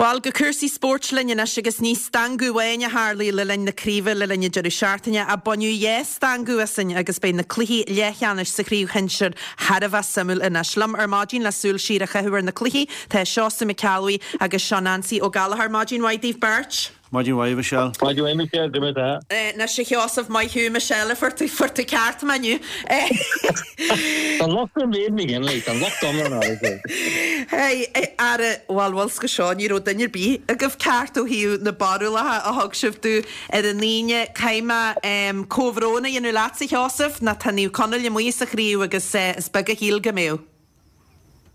Bhuel, go cúrsaí spóirt linn anois agus ní stangadh amháin a tharlaigh le linn na craoibhe le linn an deireadh seachtaine ach baineadh dhá stangadh asainn agus beidh na cluichí leathcheannais sa chraobh shinsir thar a bheith suimiúil anois. Liom ar maidin le súil siar a chaitheamh ar na cluichí tá Seosamh Mac Ceallbhuí agus Seán Ansaí Ó Gallchóir. Maidin mhaith daoibh beirt. Maidin mhaith, a Mhichelle. Maidin mhaith, Michelle, cad é mar atá? Anois, a Sheosaimh, maith thú, Michelle, fuair tú, fuair tú ceart mé inniu. Tá an locht ar Mhéabh McGinley, tá an locht iomlán uirthi. Hey, ara, bhuel, bhfuil 's agat seo, ní raibh duine ar bith agaibh ceart ó thaobh na barúlacha a thug sibh domh ar an Aoine. Caithfidh mé comhbhrón a dhéanamh leatsa, a Sheosaimh, nó tá Naomh Conaill amuigh as an chraobh agus is beag a shíl go mbeadh.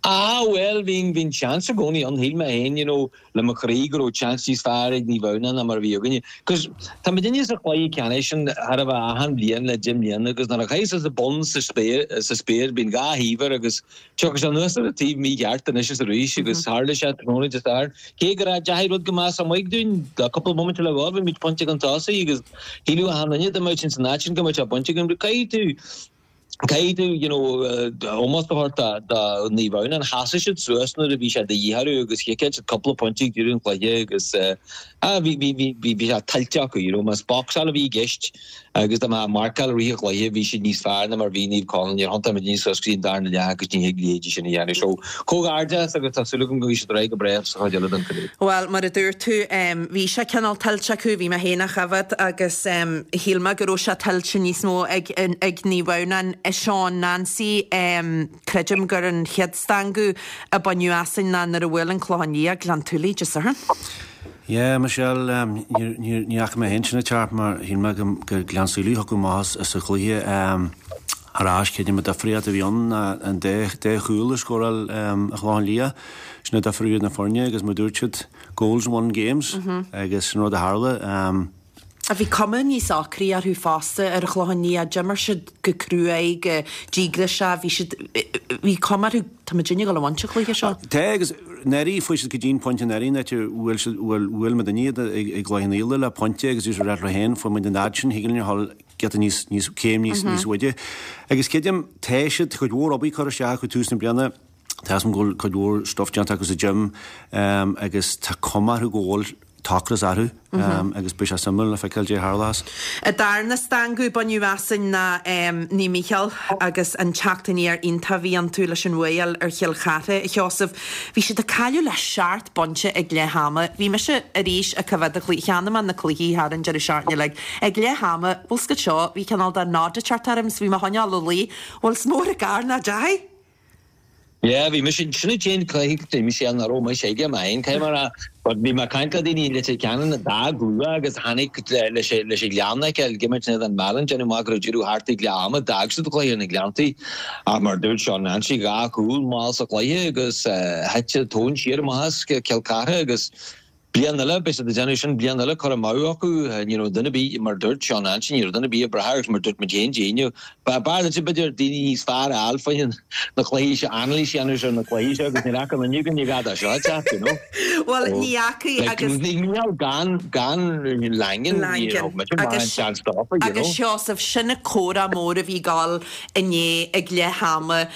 Ah bhuel, bhí, bhí an seans i gcónaí ann, shíl mé féin, you know, le mo chroí go raibh seans níos fearr ag Naomh Adhamhnáin ná mar a bhí againne. Cos tá muidinne sa chluiche ceannais sin chóir a bheith achan bhliain le deich mbliana agus nuair a chaithfeas an bonn sa spéir, sa spéir, bíonn dhá thaobh air agus tiocfaidh sé anuas ar an taobh mícheart anois is arís agus tharla sé tráthnóna Dé Sathairn. Cé go raibh deachaigh rud go maith amuigh dúinn le cúpla bomaite le dhul, bhí muid pointe chun tosaigh agus shíleadh achan duine dá mbeadh sin san áit sin go mbeadh sé bainte againn but caithfidh tú Caithfidh tú, you know, ómós a thabhairt do Naomh Adhamhnáin. Sheasaigh siad suas nuair a bhí sé de dhíth orthu agus chiceáil siad cúpla pointe ag deireadh an chluiche agus ah, bhí, bhí, bhí, bhí, bhí sé tuillte acu, you know. Más boxáil a bhí i gceist agus dá mbeadh marcáil i rith an chluiche, bhí siad níos fearr ná mar bhí Naomh Conaill. Níor thiontaigh muidne suas go dtí an darna leath agus ní thig leithéidí sin a dhéanamh. So, comhghairdeas agus tá súil agam go mbeidh siad ar aghaidh go breá sa chuid eile den chraobh. Bhuel, mar a dúirt tú, bhí sé cineál tuillte acu, bhí mé féin á choimhéad agus shíl mé go raibh sé tuillte níos mó ag ag Naomh Adhamhnáin. Seán Nancy, creidim gur an chéad stangadh a baineadh asainn ná nuair a bhuail an Clochán Liath Gleann tSúilí Dé Sathairn. Yeah, Michelle, ní fhaca mé féin sin ag teacht mar shíl mé go Gleann tSúilí a thiocfadh amach as an chluiche. Ar ais, creidim an difríocht a bhí ann ná an dá chúl a scóráil an Chlochán Liath. Sin an difear idir na foirne agus mar dúirt siad, goals won games agus sin rud a tharla. Bhí cuma níos ocraí orthu fosta ar an Chlochán Liath. D'imir siad go cruaidh, go díograiseach. Bhí siad, bhí cuma orthu, tá muidinne ag dul a bhaint an chluiche seo. Tá agus anuraidh, fuair siad go dtí an pointe anuraidh an áit a bhfuil siad, bhuail, bhuail muidinne iad i gcluiche an Fhíola le pointe agus bhí siad ag rá leo féin, fuair muid an fhad sin, thig linn a dhul giota níos, níos, céim níos, níos faide. Agus creidim, tá siad, cuid mhór obair curtha isteach acu tús na bliana, Tá a fhios agam go bhfuil cuid mhór stuif déanta acu sa gym agus tá cuma orthu go bhfuil t-ocras orthu agus beidh sé suimiúil le feiceáil cad é a tharlós. An darna stangadh a baineadh asainn ná Naomh Mícheál agus an teacht aniar iontach a bhí iontu leis an bhuaidh a fháil ar Chill Chartha, a Sheosaimh. Bhí siad ag cailleadh le seacht bpointe ag leath ama. Bhí mise arís ag coimhéad an chluiche. Cheannaigh mé na cluichí thar an deireadh seachtaine uilig. Ag leath ama, bhfuil 's agat seo, bhí cineál de nod ag teacht orm 's bhí mé ag coinneáil a luí. Bhfuil 's mór an gar nach dteachaigh? Yeah, bhí mise, sin an t-aon cluiche a mise nach raibh mise aige mé féin, caithfidh mé a rá, but bhí mé ag caint le daoine i Leitir Ceanainn a d'fhág luath agus tháinig leis leis an Ghleann a fheiceáil, ag imirt in éadan Meallan, déanamh amach go raibh deireadh thart ag leath ama, d'fhág siad an cluiche ar na Gleanntaí ach mar a dúirt Seán Nancy, dhá chúl mall sa chluiche agus thit an tóin siar amach as Cill Chartha agus Bliain eile, beidh siad ag déanamh sin, bliain eile, cur amú acu, ní raibh duine ar bith, mar a dúirt Seán Nancy, ní raibh duine ar bith ag brath air agus mar a dúirt muid féin Dé hAoine, b'fhearr duitse b'fhéidir daoine níos fearr a fháil faoi na cluichí seo, anailís a dhéanamh ar na cluichí seo agus ní raibh aon duine againn ag rá seo ag teacht, you know. Bhuel, ní fhacaidh agus. Like, níl gan, gan Langan, ní raibh muid in ann seans dófa, you know. Agus Seosamh, sin an comhrá mór a bhí ag dul inné ag leath ama,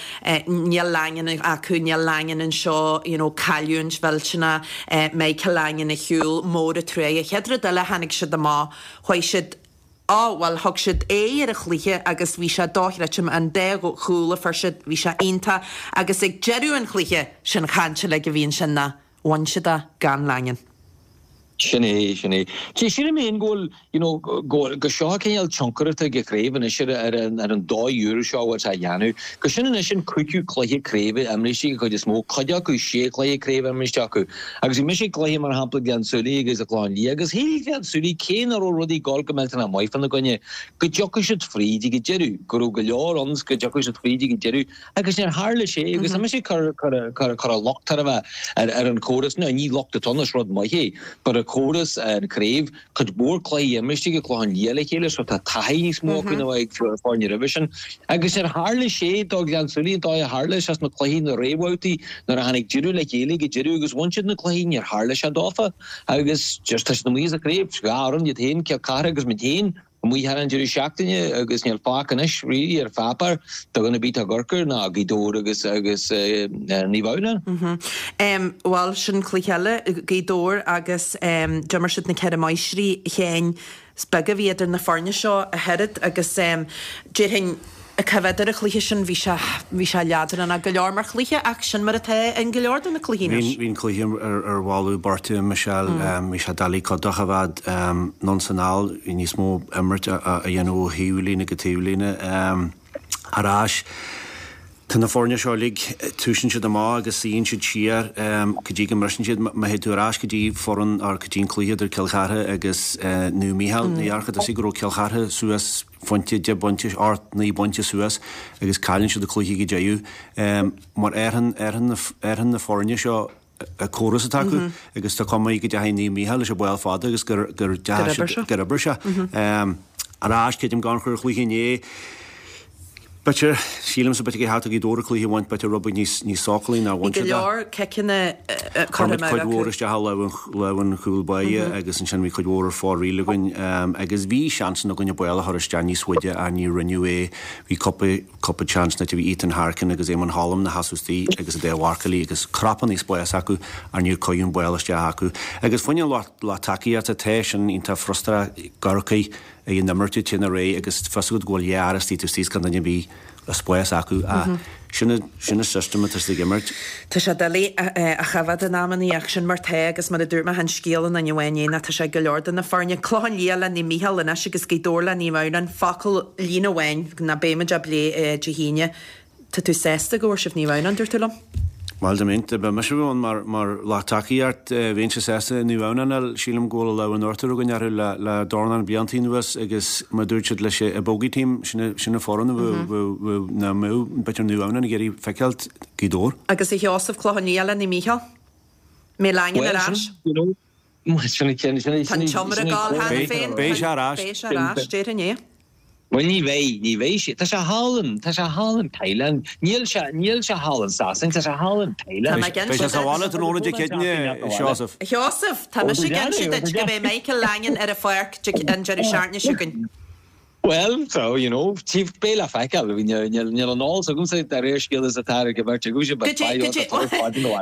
níl Langan acu, níl Langan anseo, you know, cailliúint mhillteanach, Michael Langan ar shiúl, mór an truaighe. An chéad rud eile, tháinig siad amach, chuaigh siad, á, bhuel, thug siad aghaidh ar an chluiche agus bhí sé dochreidte, an dá chúl a fuair siad, bhí sé iontach agus ag deireadh an chluiche, sin chaint uilig a bhí ansin ná, bhain siad é gan Langan. Sin é, sin é. Sea, sílim féin go bhfuil, you know, go bhfuil, go seo cineál tionchar atá ag an chraobh anois ar, ar an, ar an dóigh úr seo a bhfuil sé á dhéanamh. Go sin anois an cúigiú cluiche craoibhe imrithe ag an chuid is mó, cuid acu sé chluiche craoibhe imrithe acu. Agus bhí mise ag cluiche mar shampla Gleann tSúilí agus an Clochán Liath agus shíl Gleann tSúilí cé nach raibh rudaí ag dul go millteanach maith fána gcoinne, go dtiocfadh siad fríd ag an deireadh, go raibh go leor ann 's go dtiocfadh siad fríd ag an deireadh. Agus níor tharla sé, agus tá mise ag cur, cur, cur, cur an locht ar a bheith ar, ar an chóras, now ní locht atá ann, is rud maith é, but an córas, an chraobh, cuid mhór cluichí imrithe ag an Clochán Liath le chéile, so tá taithí níos mó acu ná ag foirne roimhe sin. Agus níor tharla sé do Ghleann tSúilí an dóigh a tharla sé sna cluichí na réamhbhabhtaí, nuair a tháinig deireadh le chéile ag an deireadh agus bhain siad na cluichí, níor tharla sé dófa. Agus just tá siad amuigh as an chraobh, dhá fhoireann, iad féin, Cill Chartha agus muid féin. amuigh thar an deireadh seachtaine agus níl fágtha anois really ar pháipéar do dhuine ar bith atá i gCorcaigh ná Gaoth Dobhair agus agus Naomh Adhamhnáin. Bhuel sin cluiche eile, Gaoth Dobhair agus d'imir siad na Ceithre Máistrí Sheáin. Is beag a bhí idir na foirne seo ach oiread agus déarfainn cá bhfios ar an chluiche sin bhí sé bhí sé leadránach go leor mar chluiche ach sin mar atá in go leor de na cluichí anois. Bhí an cluiche ar bholladh beirte Michelle, bhí sé doiligh cuid de a bheith anonn 's anall, bhí níos mó imirt a dhéanamh ó thaobh líne go taobh líne ar ais. Tá na foirne seo uilig, tosaíonn siad amach agus suíonn siad siar go dtí go mbriseann siad. Má théid tú ar ais go dtí foireann or go dtí an cluiche idir Cill Chartha agus Naomh Mícheál, ní dhearca tusa go raibh Cill Chartha suas phointe, 10 bpointe, 8, 9 bpointe suas agus cailleann siad an cluiche go deireadh. Mar athraíonn, athraíonn na foirne seo an córas atá acu agus tá cuma go dteachaigh Naomh Mícheál leis an ball fada agus gur gur deachaigh gur oibir sé. Ar ais, creidim gan chur chluiche inné, b'fhéidir, sílimse b'fhéidir gur cheart do Ghaoth Dobhair an cluiche a bhaint, b'fhéidir rud beag níos níos sócúlaí ná bhain siad é. Bhí go leor ciceanna curtha amú acu. Chuir muid cuid mhór isteach i lámh an lámh an chúl báire agus ansin bhí cuid mhór ar fóraoil againn agus bhí seansanna againn an ball a chur isteach níos faide ach ní rinneadh é. Bhí cúpla Cúpla seans nuair a bhí Ethan Harkin agus Éamonn Holm ina sheasamh istigh agus an dá mharcálaí agus crapanna spáis acu ach níor cuireadh an ball isteach acu. Agus fá choinne an lucht tacaíochta tá sin iontach frustrach i gCorcaigh ag an imirt ag téann ar aghaidh agus fios agat go bhfuil dhá fhear istigh taobh istigh is gan duine ar bith le spás acu ach sin sin an system atá siad ag imirt. Tá sé doiligh a choimhéad in amannaí ach sin mar tá agus mar a dúirt mé an scéal i nduine amháin é ná tá sé ag go leor de na foirne. Clochán Liath le Naomh Mícheál anois agus Gaoth Dobhair le Naomh Adhamhnáin. Focal, líne amháin, ná beimid á bplé Dé hAoine. Tá tú sásta go bhfuair sibh Naomh Adhamhnáin, dúirt tú liom? Bhuel, dá mbeinn, dá mbeadh mise ann mar, mar lucht tacaíocht, bheinnse sásta Naomh Adhamhnáin a fháil. Sílim go bhfuil an lámh in uachtar againn orthu le, le dornán blianta anuas agus mar a dúirt siad leis an bogey team, sin, sin an foireann a bheadh, bheadh, bheadh, ná mbeadh, b'fhéidir Naomh Adhamhnáin ag iarraidh feiceáilt Gaoth Dobhair. Agus a Sheosaimh, Clochán Liath le Naomh Mícheál. Mbeidh Langan ar Well, ais. sin, you know, Sin an ceann, sin Tá an tsiomra ag gabháil cheana féin. Beidh sé ar ais. Beidh sé ar ais, déarfainn é. Bhuel ní bheidh, ní bheidh sé. Tá sé thall in, tá sé thall in Thailand. Níl sé, níl sé thall in Sasain, tá sé thall in Thailand. Tá mé ag inse Beidh sé sa bhaile tráthnóna Dé Céadaoine, a Sheosaimh. A Sheosaimh, tá mise ag inse duit go mbeidh Michael Langan ar an pháirc an deireadh seachtaine seo chugainn. Bhuel, so, you know, beidh le feiceáil. Níl, níl an eolas agamsa de réir scéal is atá ar an bheirt agaibhse, but Goidé, goidé,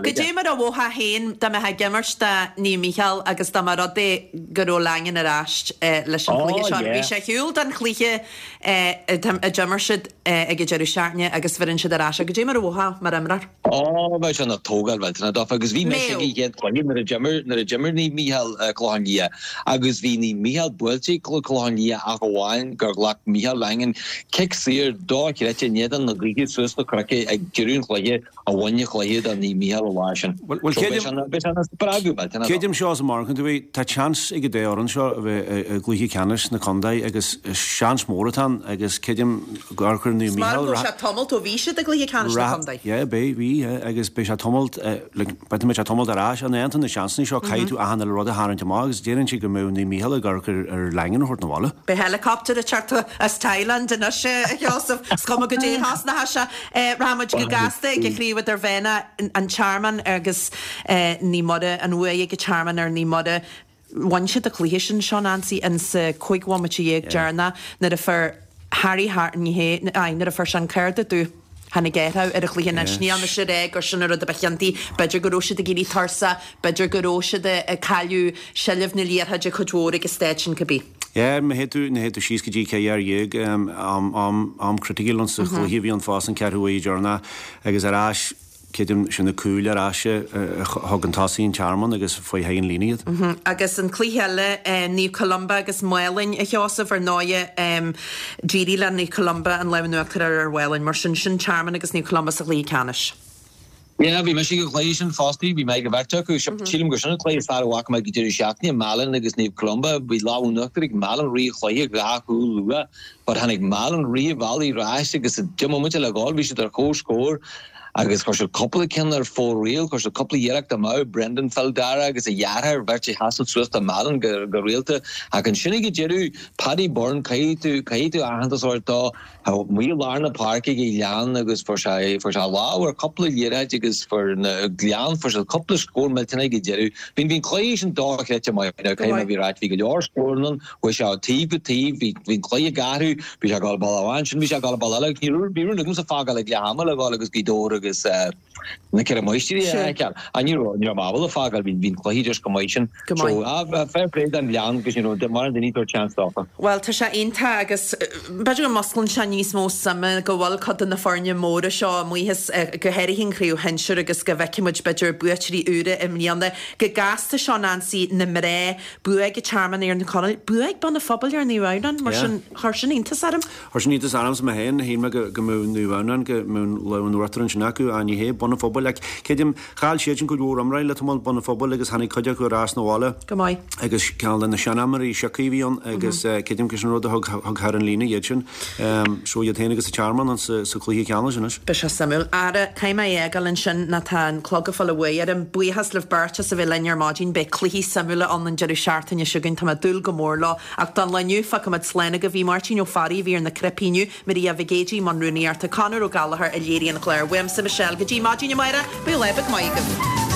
goidé mar a mhothófá féin dá mbeifeá ag imirt do Naomh Mícheál agus dá mba rud é go raibh Langan ar ais leis an chluiche seo. Bhí sé ar shiúl don chluiche a d'imir siad ag an deireadh seachtaine agus bheireann siad ar ais é. Goidé mar a mhothófá mar imreoir? Ó, bheadh sé ina tógáil mhillteanach dófa agus bhí mise ag an chéad chluiche nuair a d'imir, nuair a d'imir Naomh Mícheál Clochán Liath agus bhí Naomh Mícheál buailte ag Clochán Liath ach amháin gur ghlac Mícheál Langan cic saor dochreidte in éadan na gaoithe suas na cnoic ag deireadh an chluiche a bhain an chluiche do Naomh Mícheál an lá sin. Bhuel, So bheadh sé ina, bheadh sé ina spreagadh millteanach dófa. Creidim Seosamh mar a dúirt tú, tá seans ag an dá fhoireann seo a bheith i gcluiche ceannais na contae agus seans mór atá ann agus creidim gur chuir Naomh Mícheál. Is maith go raibh sé tamalt ó bhí siad i gcluiche ceannais na contae. Yeah, beidh, bhí, yeah, agus beidh sé tamalt, like, beidh sé tamalt ar ais, an aontaíonn na seansanna seo, caithfidh tú achan uile rud a tharraingt amach agus déarfainnse go mbeadh Naomh Mícheál ag amharc ar, ar Langan a thabhairt 'na bhaile. Beidh helicopter ag teacht as Thailand anois, a Sheosaimh. Is cuma goidé a thosnóchas sé. Rachaidh muid go gasta ag an chraobh idirmheánach, an Tearmann agus Naomh Muire, an bhuaidh ag an Tearmann ar Naomh Muire. Bhain siad an cluiche sin seo, Nancy, in sa 15 bhomaite deireanach nuair a fuair Harry Hart, ní hé, aye, nuair a fuair sé an cárta dubh. Tháinig athrú ar an chluiche anois. Níl mise ag rá gur sin an rud a ba chiontaí. B'fhéidir go raibh siad ag éirí tuirseach, b'fhéidir go raibh siad ag cailleadh seilbh na liathróide cuid mhór ag an staid sin cibé. Yeah, má théid tú, má théid tú síos go dtí 14 fhear, am, am, am criticiúil sa chluiche a bhí ann fosta an ceathrú uair deireanach agus ar ais, Creidim, sin na cúil ar ais a thug an tosaí an Tearmann agus faoi thigh an líne iad. Agus an cluiche eile, Naomh Columba agus Málainn, a Sheosaimh, ar ndóighe, d'éirigh le Naomh Columba an lámh in uachtar a fháil ar Mhálainn. Mar sin, sin Tearmann agus Naomh Columba sa chluiche ceannais. Yeah, bhí mise ag an chluiche sin fosta, bhí mé ag an bheirt acu. Sílim gur sin an cluiche is fearr a bhfaca mé ag an deireadh seachtaine, Málainn agus Naomh Columba. Bhí lámh in uachtar ag Málainn rith an chluiche, dhá chúl luath, but tháinig Málainn rith an bhealaigh ar ais agus deich mbomaite le dhul, bhí siad ar comhscór. Agus chuir siad cúpla ceann ar fóraoil, chuir siad cúpla iarracht amach, Brendan Phil Dara agus a dheartháir, beirt a sheasann suas do Mheallan go rialta. Ach ansin ag an deireadh, Paddy Byrne, caithfidh tú, caithfidh tú aitheantas a thabhairt dó, amuigh i lár na páirce ag an Ghleann agus fuair sé, fuair sé a lámh ar chúpla liathróid agus fuair na Gleann, fuair siad cúpla scór millteanach ag an deireadh. Bhí, bhí an cluiche sin dochreidte maith, now caithfidh mé a bheith ráite, bhí go leor scóranna ann, Chuaigh sé ó taobh go taobh, bhí an cluiche ag athrú, bhí sé ag dul bealach amháin, ansin bhí sé ag dul bealach eile agus ní raibh, bhí rún agamsa fágáil ag leath ama le dhul agus Gaoth Dobhair agus na Ceithre Máistrí a fheiceáil. Ach ní raibh, ní raibh mé ábalta fágáil, bhí, bhí an cluiche just chomh maith sin. Go maith. So, fair play don Ghleann agus ní raibh mórán daoine ag tabhairt seans dófa. Bhuel, tá sé iontach agus b'fhéidir go musclaíonn sé níos mó suime go bhfuil cuid de na foirne móra seo amuigh as, go háirithe an chraobh shinsir agus go bhfeicfidh muid b'fhéidir buaiteoirí úra i mbliana. Go gasta seo Nancy, na mná, Bua ag an Tearmann ar Naomh Conaill, bua ag Bun an Phobail ar Naomh Adhamhnáin, mar sin, chuir sin iontas orm. Chuir sin iontas ormsa mé féin, shíl mé go mbeadh Naomh Adhamhnáin, go mbeadh an lámh in uachtar ansin acu, ach ní hea, Bun an Phobail, ach creidim, chaill siad sin cuid mhór imreoirí le tamall, Bun an Phobail, agus tháinig cuid acu ar ais 'na bhaile. Go maith. Agus ceann de na seanimreoirí siocaí a bhí ann agus creidim gur sin rud a thug thug thar an líne iad sin. So iad féin agus an Tearmann sa chluiche ceannais anois. Beidh sé suimiúil. Ara, caithfidh mé é a fhágáil ansin nó tá an clog ag fáil uaidh orm. Buíochas libh beirt as a bheith linn ar maidin. Beidh cluichí suimiúla ann an deireadh seachtaine seo chugainn. Tá mé ag dúil go mór leo. Ach don lá inniu, fágfaimid slán agaibh. Bhí Máirtín Ó Fearraigh a bhí ar na cnaipí inniu, Maria Mhig Éadaigh i mbun rúnaíochta, Conor Ó Gallchóir a léirigh an clár. Uaimse Michelle go dtí maidin amárach, bíodh lá beag maith agaibh.